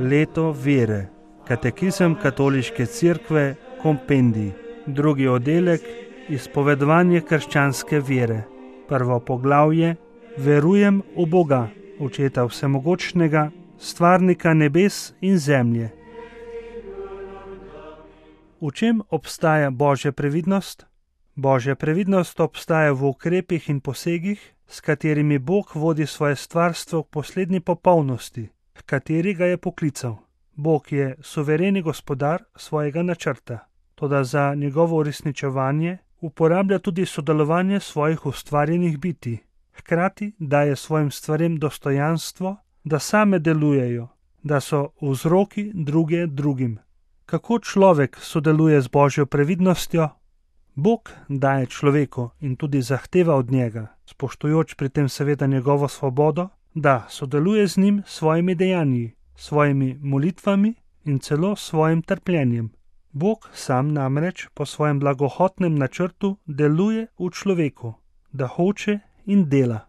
Leto vere. Katekizem Katoliške cerkve, kompendij. Drugi oddelek, izpovedovanje krščanske vere. Prvo poglavje, verujem v Boga, Očeta vsemogočnega, stvarnika nebes in zemlje. V čem obstaja Božja previdnost? Božja previdnost obstaja v ukrepih in posegih, s katerimi Bog vodi svoje stvarstvo k poslednji popolnosti, h kateri ga je poklical. Bog je suvereni gospodar svojega načrta, toda za njegovo uresničevanje uporablja tudi sodelovanje svojih ustvarjenih bitij. Hkrati daje svojim stvarem dostojanstvo, da same delujejo, da so vzroki druge drugim. Kako človek sodeluje z Božjo previdnostjo? Bog daje človeku in tudi zahteva od njega, spoštujoč pri tem seveda njegovo svobodo, da sodeluje z njim s svojimi dejanji, svojimi molitvami in celo svojim trpljenjem. Bog sam namreč po svojem blagohotnem načrtu deluje v človeku, da hoče in dela.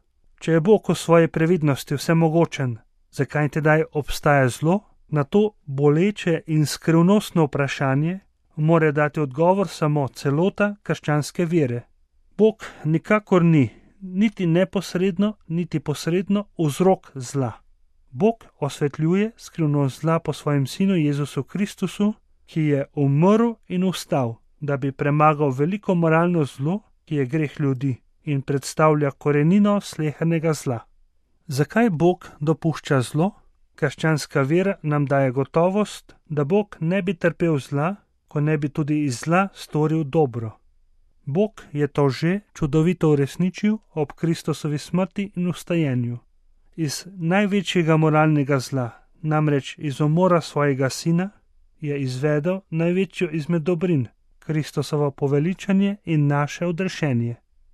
Če je Bog v svoji previdnosti vsemogočen, zakaj tedaj obstaja zlo? Na to boleče in skrivnostno vprašanje mora dati odgovor samo celota krščanske vere. Bog nikakor ni, niti neposredno, niti posredno vzrok zla. Bog osvetljuje skrivnost zla po svojem sinu Jezusu Kristusu, ki je umrl in vstal, da bi premagal veliko moralno zlo, ki je greh ljudi in predstavlja korenino slehernega zla. Zakaj Bog dopušča zlo? Krščanska vera nam daje gotovost, da Bog ne bi trpel zla, ko ne bi tudi iz zla storil dobro. Bog je to že čudovito uresničil ob Kristusovi smrti in vstajenju. Iz največjega moralnega zla, namreč iz umora svojega sina, je izvedel največjo izmed dobrin, Kristusovo poveličanje in naše odrešenje.